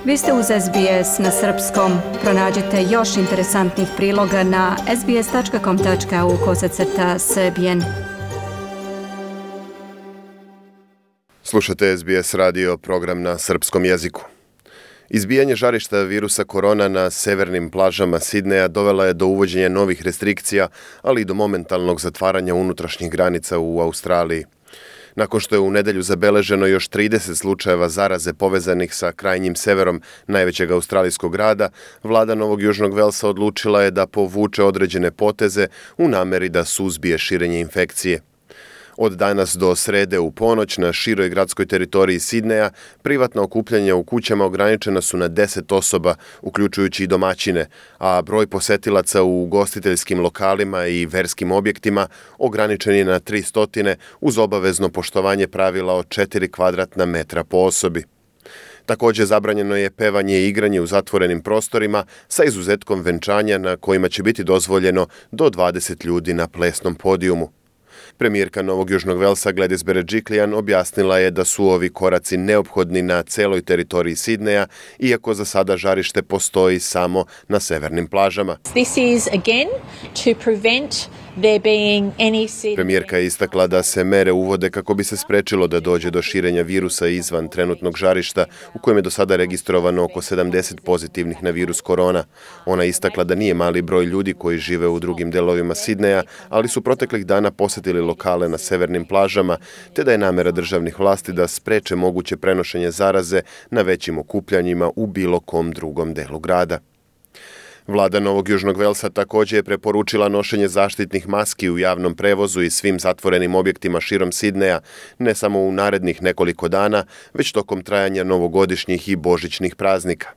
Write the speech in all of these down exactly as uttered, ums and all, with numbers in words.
Vi ste uz S B S na srpskom. Pronađite još interesantnih priloga na sbs.com.au kosacrta srbijen. Slušate S B S radio, program na srpskom jeziku. Izbijanje žarišta virusa korona na severnim plažama Sidneja dovela je do uvođenja novih restrikcija, ali i do momentalnog zatvaranja unutrašnjih granica u Australiji. Nakon što je u nedelju zabeleženo još trideset slučajeva zaraze povezanih sa krajnjim severom najvećeg australijskog grada, vlada Novog Južnog Velsa odlučila je da povuče određene poteze u nameri da suzbije širenje infekcije. Od danas do srede u ponoć na široj gradskoj teritoriji Sidneja privatna okupljanja u kućama ograničena su na deset osoba, uključujući i domaćine, a broj posetilaca u ugostiteljskim lokalima i verskim objektima ograničen je na tristo uz obavezno poštovanje pravila od četiri kvadratna metra po osobi. Također zabranjeno je pevanje i igranje u zatvorenim prostorima sa izuzetkom venčanja na kojima će biti dozvoljeno do dvadeset ljudi na plesnom podijumu. Premijerka Novog Južnog Velsa Gladys Berejiklian objasnila je da su ovi koraci neophodni na celoj teritoriji Sidneja, iako za sada žarište postoji samo na severnim plažama. This is again to prevent there being any... Premijerka je istakla da se mere uvode kako bi se sprečilo da dođe do širenja virusa izvan trenutnog žarišta, u kojem je do sada registrovano oko sedamdeset pozitivnih na virus korona. Ona je istakla da nije mali broj ljudi koji žive u drugim delovima Sidneja, ali su proteklih dana posjetili lokale na severnim plažama, te da je namera državnih vlasti da spreče moguće prenošenje zaraze na većim okupljanjima u bilo kom drugom delu grada. Vlada Novog Južnog Velsa također je preporučila nošenje zaštitnih maski u javnom prevozu i svim zatvorenim objektima širom Sidneja, ne samo u narednih nekoliko dana, već tokom trajanja novogodišnjih i božićnih praznika.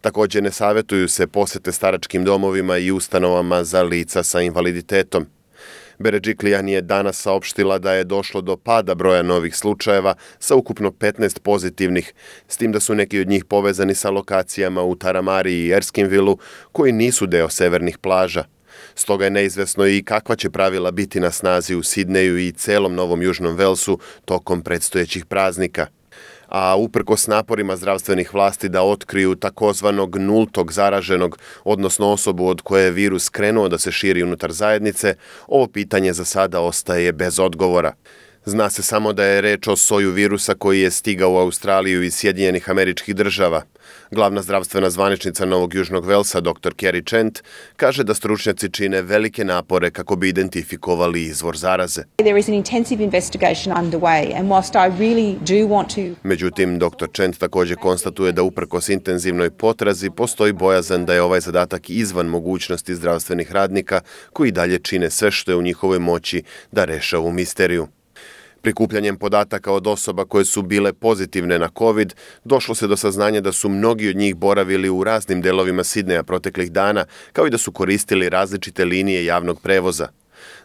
Također ne savjetuju se posjete staračkim domovima i ustanovama za lica sa invaliditetom. Berejiklian je danas saopštila da je došlo do pada broja novih slučajeva sa ukupno petnaest pozitivnih, s tim da su neki od njih povezani sa lokacijama u Taramari i Erskinvillu koji nisu deo severnih plaža. Stoga je neizvesno i kakva će pravila biti na snazi u Sidneju i celom Novom Južnom Velsu tokom predstojećih praznika. A uprkos naporima zdravstvenih vlasti da otkriju takozvanog nultog zaraženog, odnosno osobu od koje je virus krenuo da se širi unutar zajednice, ovo pitanje za sada ostaje bez odgovora. Zna se samo da je reč o soju virusa koji je stigao u Australiju iz Sjedinjenih Američkih Država. Glavna zdravstvena zvaničnica Novog Južnog Velsa, doktor Kerry Chant, kaže da stručnjaci čine velike napore kako bi identifikovali izvor zaraze. There is an intensive investigation underway and whilst I really do want to... Međutim, doktor Chant također konstatuje da uprkos intenzivnoj potrazi postoji bojazan da je ovaj zadatak izvan mogućnosti zdravstvenih radnika koji dalje čine sve što je u njihovoj moći da reše ovu misteriju. Prikupljanjem podataka od osoba koje su bile pozitivne na COVID, došlo se do saznanja da su mnogi od njih boravili u raznim delovima Sidneja proteklih dana, kao i da su koristili različite linije javnog prevoza.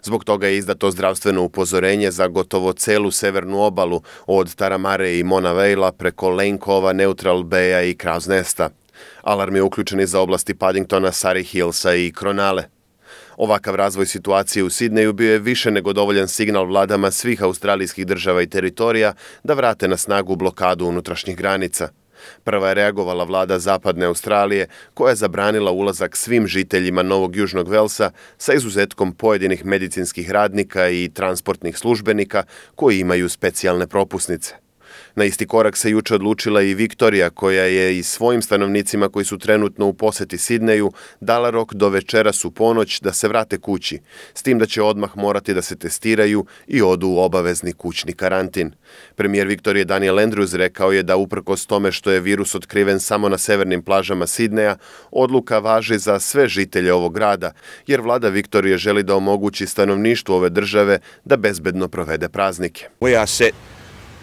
Zbog toga je izdato zdravstveno upozorenje za gotovo celu severnu obalu, od Taramare i Mona Vale preko Lane Cova, Neutral Baya i Crow's Nesta. Alarm je uključen i za oblasti Paddingtona, Surrey Hillsa i Kronale. Ovakav razvoj situacije u Sidneju bio je više nego dovoljan signal vladama svih australijskih država i teritorija da vrate na snagu blokadu unutrašnjih granica. Prva je reagovala vlada Zapadne Australije, koja je zabranila ulazak svim žiteljima Novog Južnog Velsa sa izuzetkom pojedinih medicinskih radnika i transportnih službenika koji imaju specijalne propusnice. Na isti korak se juče odlučila i Viktorija, koja je i svojim stanovnicima koji su trenutno u posjeti Sidneju dala rok do večeras u ponoć da se vrate kući, s tim da će odmah morati da se testiraju i odu u obavezni kućni karantin. Premijer Viktorije Daniel Andrews rekao je da uprkos tome što je virus otkriven samo na severnim plažama Sidneja, odluka važi za sve žitelje ovog grada, jer vlada Viktorije želi da omogući stanovništvu ove države da bezbedno provede praznike. We are set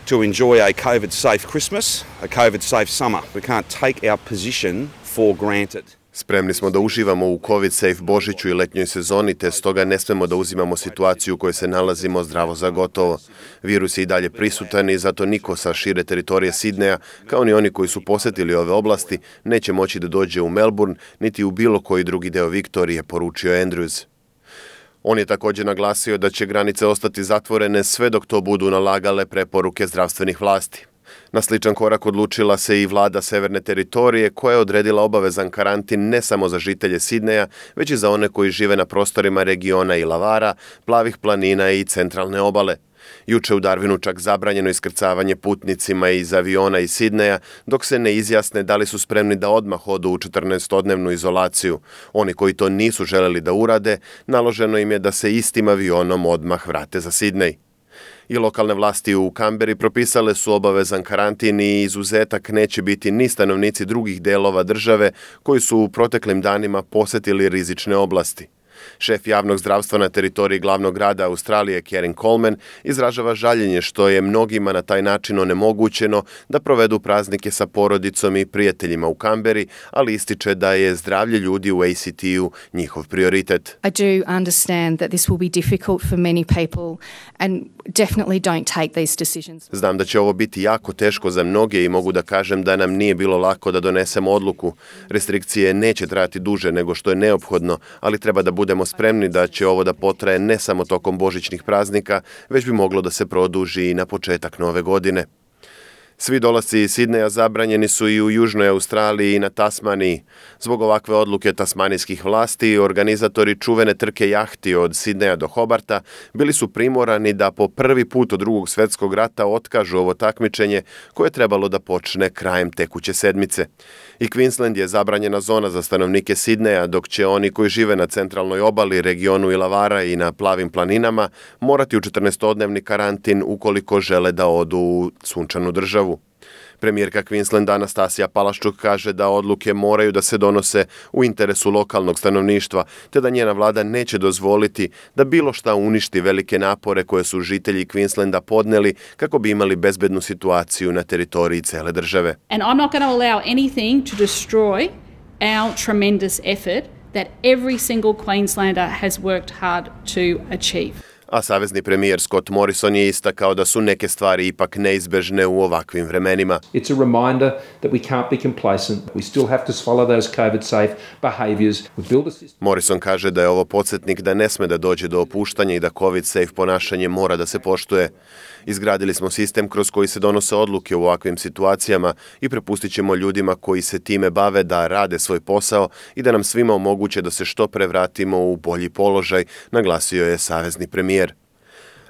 to enjoy a COVID-safe Christmas, a COVID-safe summer. We can't take our position for granted. Spremni smo da uživamo u COVID-safe Božiću i letnjoj sezoni, te stoga ne smemo da uzimamo situaciju u kojoj se nalazimo zdravo za gotovo. Virus je i dalje prisutan i zato niko sa šire teritorije Sidneja, kao ni oni koji su posjetili ove oblasti, neće moći da dođe u Melbourne, niti u bilo koji drugi deo Viktorije, poručio Andrews. On je također naglasio da će granice ostati zatvorene sve dok to budu nalagale preporuke zdravstvenih vlasti. Na sličan korak odlučila se i vlada Severne teritorije koja je odredila obavezan karantin ne samo za žitelje Sidneja, već i za one koji žive na prostorima regiona Illawarra, Plavih planina i centralne obale. Juče u Darwinu čak zabranjeno iskrcavanje putnicima iz aviona iz Sidneja dok se ne izjasne da li su spremni da odmah odu u četrnaestodnevnu izolaciju. Oni koji to nisu želeli da urade, naloženo im je da se istim avionom odmah vrate za Sidnej. I lokalne vlasti u Kamberi propisale su obavezan karantin i izuzetak neće biti ni stanovnici drugih delova države koji su u proteklim danima posjetili rizične oblasti. Šef javnog zdravstva na teritoriji glavnog grada Australije, Karen Coleman, izražava žaljenje što je mnogima na taj način onemogućeno da provedu praznike sa porodicom i prijateljima u Kamberi, ali ističe da je zdravlje ljudi u A C T-u njihov prioritet. I do understand that this will be difficult for many people and definitely don't take these decisions. Znam da će ovo biti jako teško za mnoge i mogu da kažem da nam nije bilo lako da donesemo odluku. Restrikcije neće trajati duže nego što je neophodno, ali treba da budemo spremni da će ovo da potraje ne samo tokom božićnih praznika, već bi moglo da se produži i na početak nove godine. Svi dolasci iz Sidneja zabranjeni su i u Južnoj Australiji i na Tasmaniji. Zbog ovakve odluke tasmanijskih vlasti, organizatori čuvene trke jahti od Sidneja do Hobarta bili su primorani da po prvi put od drugog svjetskog rata otkažu ovo takmičenje koje je trebalo da počne krajem tekuće sedmice. I Queensland je zabranjena zona za stanovnike Sidneja, dok će oni koji žive na centralnoj obali, regionu Illawarra i na Plavim planinama morati u četrnaestodnevni karantin ukoliko žele da odu u sunčanu državu. Premijerka Queenslanda Anastasija Palaščuk kaže da odluke moraju da se donose u interesu lokalnog stanovništva, te da njena vlada neće dozvoliti da bilo šta uništi velike napore koje su žitelji Queenslanda podneli kako bi imali bezbednu situaciju na teritoriji cele države. And I'm not going to allow anything to destroy our tremendous effort that every single Queenslander has worked hard to achieve. A savezni premijer Scott Morrison je istakao da su neke stvari ipak neizbežne u ovakvim vremenima. It's a reminder that we can't be complacent. We still have to follow those COVID safe behaviors. We build a system. Morrison kaže da je ovo podsjetnik da ne sme da dođe do opuštanja i da COVID safe ponašanje mora da se poštuje. Izgradili smo sistem kroz koji se donose odluke u ovakvim situacijama i prepustit ćemo ljudima koji se time bave da rade svoj posao i da nam svima omoguće da se što pre vratimo u bolji položaj, naglasio je savezni premijer.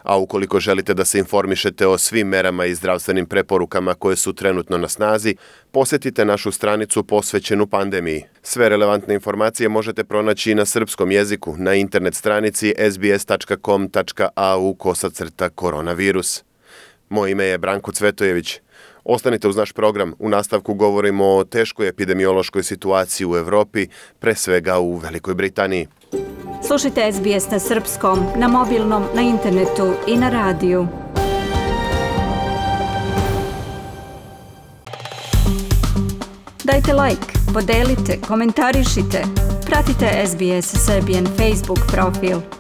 A ukoliko želite da se informišete o svim merama i zdravstvenim preporukama koje su trenutno na snazi, posjetite našu stranicu posvećenu pandemiji. Sve relevantne informacije možete pronaći na srpskom jeziku na internet stranici s b s tačka com tačka a u kosacrta koronavirus. Moje ime je Branko Cvetojević. Ostanite uz naš program. U nastavku govorimo o teškoj epidemiološkoj situaciji u Evropi, pre svega u Velikoj Britaniji. Slušajte S B S na srpskom, na mobilnom, na internetu i na radiju. Dajte like, podelite, komentarišite. Pratite S B S Serbian Facebook profil.